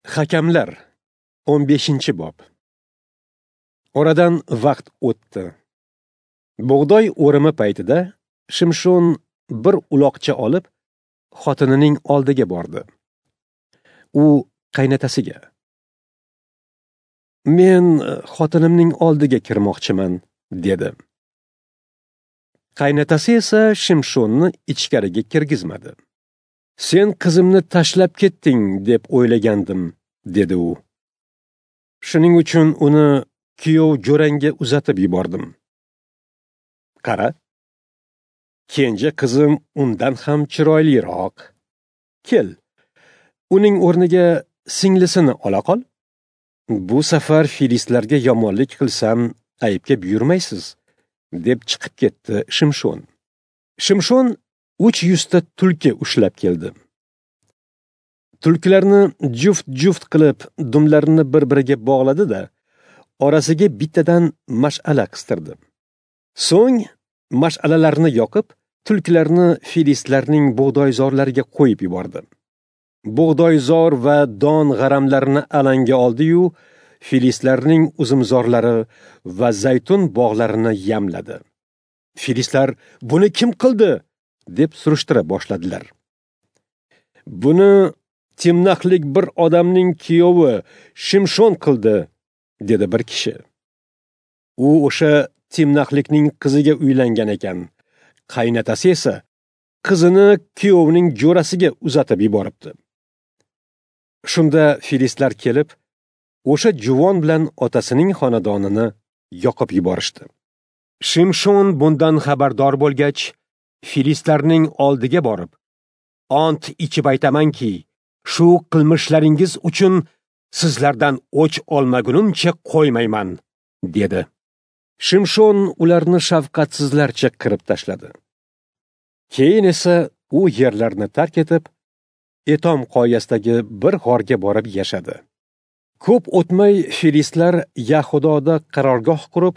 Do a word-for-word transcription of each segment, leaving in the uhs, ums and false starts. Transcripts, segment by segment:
Hakamlar o'n beshinchi bob. Oradan vaqt o'tdi. Bug'doy o'rimi paytida Shimshon bir uloqcha olib, xotinining oldiga bordi. U qaynotasiga: "Men xotinimning oldiga kirmoqchiman", dedi. Qaynotasi esa Shimshonni ichkariga kirgizmadi. "Sen qizimni tashlab ketding deb o'ylagandim", dedi u. "Shuning uchun uni kuyov jo'rangga uzatib yubordim. Qara, kenja qizim undan ham chiroyliroq. Kel, uning o'rniga singlisini ola qol. Bu safar filistlarga yomonlik qilsam, aybga buyurmaysiz", deb chiqib ketdi Shimshon. Shimshon uch yuzta tulki ushlab keldi. Tulkilarni juft-juft qilib, dumlarini bir-biriga bog'ladi-da, orasiga bittadan mash'ala qistirdi. So'ng mash'alalarni yoqib, tulkilarni filistlarning bug'doyzorlariga qo'yib yubordi. Bug'doyzor va don g'aramlarini alanga oldi-yu, filistlarning uzumzorlari va zaytun bog'larini yamladi. Filistlar "Buni kim qildi?" deb surishtira boshladilar. "Buni Timnaxlik bir odamning kuyovi Shimshon qildi", dedi bir kishi. U o'sha Timnaxlikning qiziga uylangan ekan. Qaynotasi esa qizini kuyovining jo'rasiga uzatib yuboribdi. Shunda filistlar kelib, o'sha juvon bilan otasining xonadonini yoqib yuborishdi. Shimshon bundan xabardor bo'lgach, filistlarning oldiga borib, "Ant ichib aytamanki, shu qilmishlaringiz uchun sizlardan o'ch olmagunimcha qo'ymayman", dedi. Shimshon ularni shafqatsizlarcha qirib tashladi. Keyin esa u yerlarni tark etib, Etom qoyasidagi bir g'orga borib yashadi. Ko'p o'tmay filistlar Yahudoda qarorgoh qurib,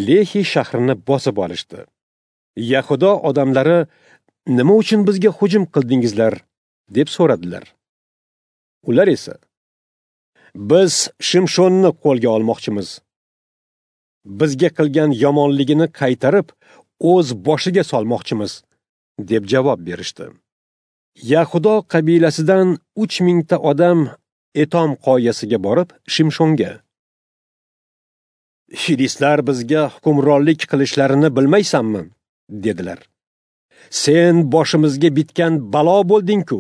Lehi shahrini bosib olishdi. Yahudo odamlari "Nima uchun bizga hujum qildingizlar?" deb so'radilar. Ular esa "Biz Shimshonni qo'lga olmoqchimiz. Bizga qilgan yomonligini qaytarib, o'z boshiga solmoqchimiz", deb javob berishdi. Yahudo qabilasidan uch mingta odam Etom qoyasiga borib, Shimshonga: "Filistlar bizga hukmronlik qilishlarini bilmaysanmi?" dedilar. "Sen boshimizga bitgan balo bo'lding-ku."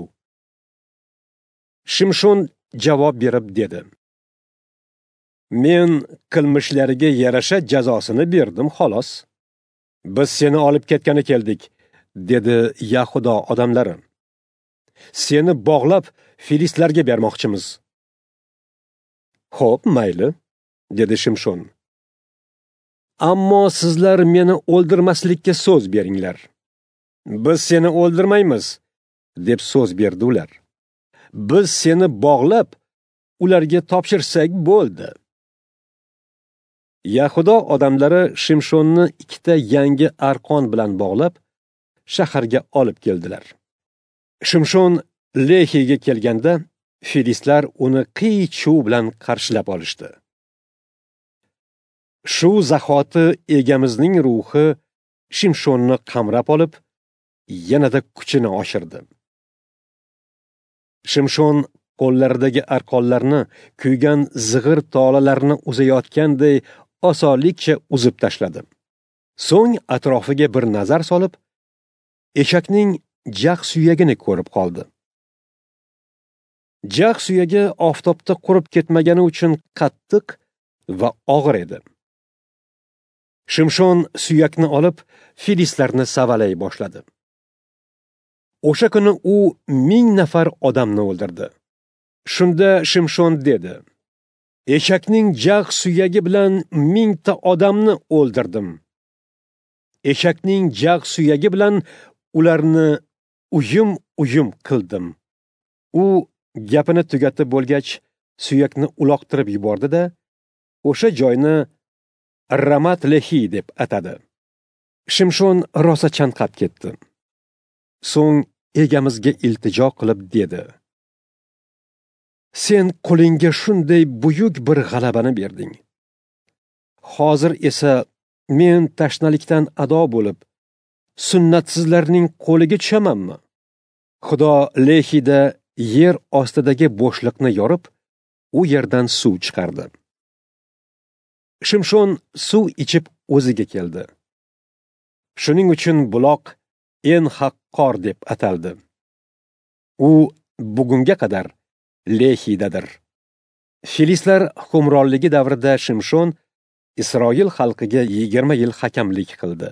Shimshon javob berib dedi: "Men qilmishlariga yarasha jazosini berdim, xolos. Biz seni olib ketgani keldik", dedi Yahudo odamlari. "Seni bog'lab filistlarga bermoqchimiz." "Xo'p, mayli", dedi Shimshon. "Ammo sizlar meni o'ldirmaslikka so'z beringlar." "Biz seni o'ldirmaymiz", deb so'z berdi ular. "Biz seni bog'lab ularga topshirsak bo'ldi." Yahudo odamlari Shimshonni ikkita yangi arqon bilan bog'lab shaharga olib keldilar. Shimshon Lehiga kelganda filistlar uni qiy-chuv bilan qarshilab olishdi. Shu zahoti egamizning ruhi Shimshonni qamrab olib, yanada kuchini oshirdi. Shimshon qo'llaridagi arqonlarni kuygan zig'ir tolalarni uzayotganday osonlikcha uzib tashladi. So'ng atrofiga bir nazar solib, eshakning jag' suyagini ko'rib qoldi. Jag' suyagi oftobda qurib ketmagani uchun qattiq va og'ir edi. Shimshon suyakni olib, filistlarni savalay boshladi. O'sha kuni u ming nafar odamni o'ldirdi. Shunda Shimshon dedi: "Eshakning jag' suyagi bilan mingta odamni o'ldirdim. Eshakning jag' suyagi bilan ularni uyum-uyum qildim." U gapini tugatib bo'lgach, suyakni uloqtirib yubordi-da, o'sha joyni Ramat Lehi deb atadi. Shimshon rosa chanqab ketdi. So'ng egamizga iltijo qilib dedi: Sen qulingga shunday buyuk bir g'alabani berding. Hozir esa men tashnalikdan ado bo'lib, sunnatsizlarning qo'liga tushamanmi? Xudo Lehida yer ostidagi bo'shliqni yorib, u yerdan suv chiqardi. Shimshon suv ichib o'ziga keldi. Shuning uchun buloq En Haqqor deb ataldi. U bugunga qadar Lehidadir. Filistlar hukmronligi davrida Shimshon Isroil xalqiga yigirma yil hakamlik qildi.